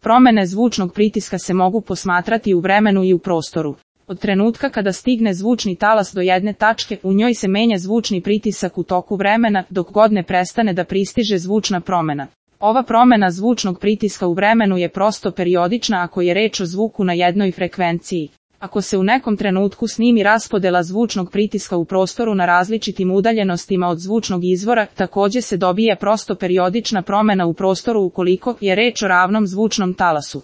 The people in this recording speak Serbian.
Promene zvučnog pritiska se mogu posmatrati u vremenu i u prostoru. Od trenutka kada stigne zvučni talas do jedne tačke, u njoj se menja zvučni pritisak u toku vremena, dok god ne prestane da pristiže zvučna promena. Ova promena zvučnog pritiska u vremenu je prosto periodična ako je reč o zvuku na jednoj frekvenciji. Ako se u nekom trenutku snimi raspodela zvučnog pritiska u prostoru na različitim udaljenostima od zvučnog izvora, takođe se dobije prosto periodična promena u prostoru ukoliko je reč o ravnom zvučnom talasu.